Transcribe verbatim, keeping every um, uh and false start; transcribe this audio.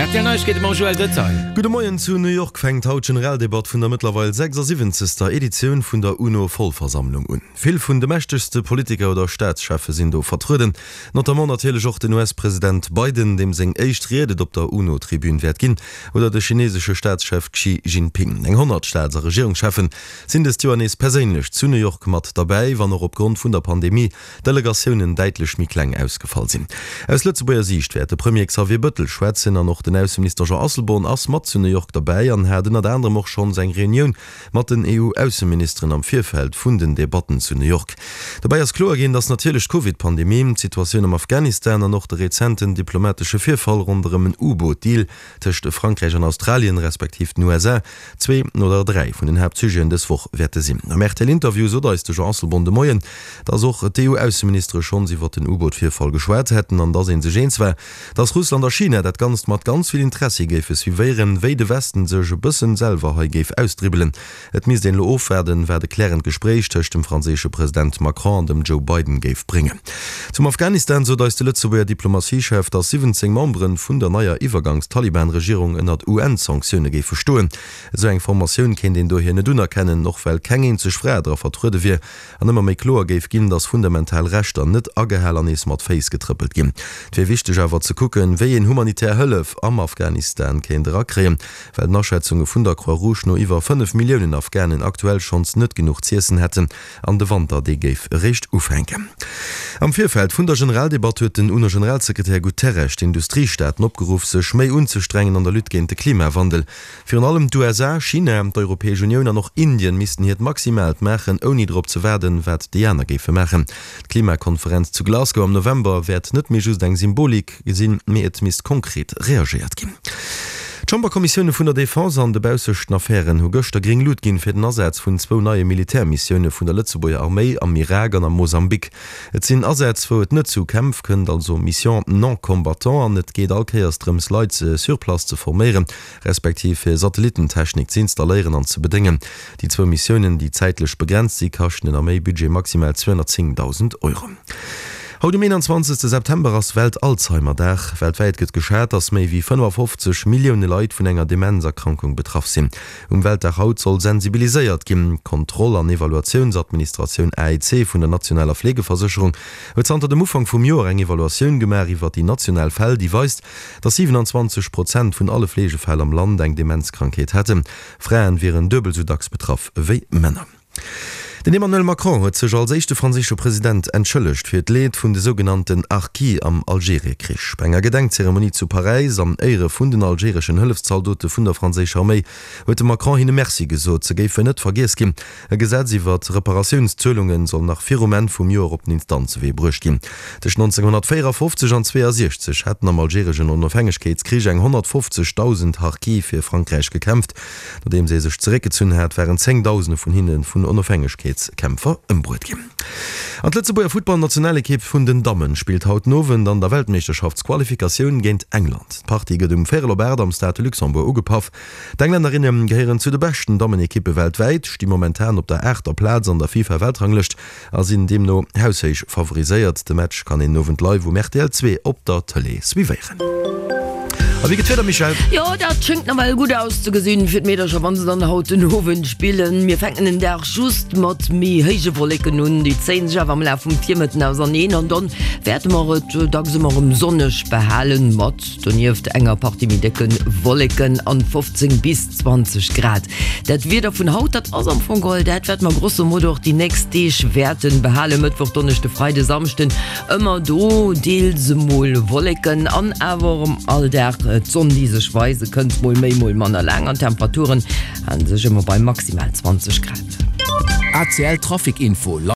R T L Neiegkeete mam Joël Detail. Gudde Moien, Zu New York fänkt haut d'Generaldebatt vun der mëttlerweil sechsasiwwenzegster Editioun vun der UNO-Vollversammlung un. Vill vun de mächtegste Politiker oder Staatscheffe sinn do vertrueden, notamment natierlech och den U S-President Biden, deem seng éischt Ried et op der UNO-Tribün wäert ginn, oder de chinesesche Staatschef Xi Jinping. Eng honnert Staats a Regierungscheffen sinn dëst Joer nees perséinlech zu New York mat derbäi, wann och opgrond vun der Pandemie d'Delegatiounen däitlech méi kleng ausgefall sinn. Aus Lëtzebuerger Siicht wäert de Premier Xavier Bëttel schwätzen an och den Ausseminister Jean Asselborn ass mat zu New York derbäi an hat ënnert anerem och schonns eng Reunioun mat den E U-Ausseministeren am Virfeld vun den Debatten zu New York. Dobäi ass kloer ginn, datt natierlech d'Covid-Pandemie, d'Situatioun am Afghanistan an och de rezenten diplomatesche Virfall ronderëm en U-Boot-Deal tëscht Frankräich an Australien, respektiv den U S A, zwee oder dräi vun den Haaptsujeten dës Woch wäerte sinn. Am R T L-Interview sot eis de Jean Asselborn de Moien, datt och d'E U-Ausseministere schonns iwwer den U-Boot-Virfall geschwat hätten an datt ee sech eens war, datt Russland a China dat Ganzt mat ganz vill Interessi géife suivéieren, wéi de Westen sech e bëssen selwer hei géif ausdribbelen. Et misst een elo ofwaarden, wat e klärend Gespréich tëscht dem franséische President Macron an dem Joe Biden géif bréngen. Zum Afghanistan sot eis de Lëtzebuerger Diplomatiechef, datt siwwenzéng Membere vun der neier Iwwergangs-Taliban-Regierung ënnert U N-Sanktioune géife stoen. Esou eng Formatioun kéint een dohier net unerkennen, och well keng eenzeg Fra dra vertruede wier an ëmmer méi kloer géif ginn, datt fundamental Rechter net agehal an nees mat Féiss getrëppelt ginn. Et wier wichteg awer ze kucken, wéi een humanitär Hëllef am Afghanistan kéint erakréien, well den Aschätzunge vun der Croix-Rouge no iwwer fënnef Milliounen Afghanen aktuell schonns net genuch z'iessen hätten an de Wanter dee géif eréischt ufänken. Am Virfeld vun der Generaldebatt huet den UNO-Generalsekretär Guterres d'Industriestaaten opgeruff, sech méi unzestrengen an der Lutte géint de Klimawandel. Virun allem d'U S A, China, d'Europäesch Unioun an och Indien missten hiert Maximaalt maachen, ouni drop ze waarden, wat déi aner géife maachen. D'Klimakonferenz zu Glasgow am November wäert net méi just eng Symbolik sinn, mee et misst konkret reagéiert ginn. D'Chamberkommissioune vun der Defense an de baussechten Affären hu gëschter gréng Lut ginn fir den Asaz vun zwou neie Militärmissioune vun der Lëtzebuerger Arméi am Irak an am Mosambik. Et sinn Asätz, wou et net zu Kämpf kënnt, also Missions non combattantes, an et geet all Kéiers drëms, Leit sur place ze forméieren, respektiv fir Satellitentechnik ze installéieren an ze bedéngen. Déi zwou Missiounen, déi zäitlech begrenzt si, kaschten den Arméibudget maximal zweehonnertzéngdausend Euro. Haut um eenanzwanzegste September ass Welt-Alzheimer-Dag. Weltwäit gëtt geschat, datt méi wéi fënnefafofzeg Millioune Leit vun enger Demenzerkrankung betraff sinn. Um Weltdag haut soll sensibiliséiert ginn. D'Kontroll an Evaluatiounsadministratioun, A E C, vun der nationaler Fleegeversécherung huet zanter dem Ufank vum Joer eng Evaluatioun gemaach iwwer déi national Fäll, déi weist, datt siwenanzwanzeg Prozent vun alle Fleegefäll am Land eng Demenzkrankheet hätten. Fraen wieren duebel esou dacks betraff wéi Männer. Den Emmanuel Macron huet sech als éischte franséische President entschëllegt fir d'Leed vun de sougenannten Harkis am Algeriekrich. Bei enger Gedenkzeremonie zu Paräis an Éiere vun den algereschen Hëllefszaldote vun der franséischer Arméi huet de Macron hinne Merci gesot, se géifen net vergiess ginn. E Gesetz iwwer Reparatiounszuelunge soll nach virum Enn vum Joer op den Instanzewee bruecht ginn. Tëscht nonzénghonnertvéierafofzeg an zweeësiechzeg hätten am algereschen Onofhängegkeetskrich eng honnertfofzegdausend Harkis fir Frankräich gekämpft. Nodeems ee sech zeréckgezunn hat, waren Zéngdausende vun hinne vun Onofhängegkeetskämpfer ëmbruet ginn. An d'Lëtzebuerger Futtballnationalekipp vun den Dammen spillt haut den Owend an der Weltmeeschterschaftsqualifikatioun géint England. D'Partie gëtt um véierel op aacht am Stade de Luxembourg ugepaff. D'Engländerinne gehéieren zu de beschten Dammenekippe weltwäit, sti momentan op der aachter Plaz an der FIFA-Weltranglëscht a sinn deemno haushéich favoriséiert. De Match kann een den Owend live um R T L zwee op der Tëlee suivéieren. A wéi geet d'Wieder, Michèle? Jo, dat schéngt nawell gutt auszegesinn fir d'Meedercher, wann se dann haut den Owend spillen. Mir fänken den Dag just mat méi héije Wolleken un, déi zéien sech awer am Laf vum Virmëtten auserneen an dann wäerte mer et dacks ëmmer erëm sonneg behalen, mat donieft enger Partie méi décke Wolleken an fofzéng bis zwanzeg Grad. Dat Wieder vun haut, dat ass am Fong geholl dat, wat mer grosso modo och déi nächst Deeg wäerten behalen, Mëttwoch, Donneschde, Freide, Samschden, ëmmer do deels emol Wolleken an awer erëm all Dag d'Sonn, déi sech weise kënnt, mol méi, mol manner laang an d'Temperaturen halen sech ëmmer bei maximal zwanzeg Grad. A C L Trafic Info.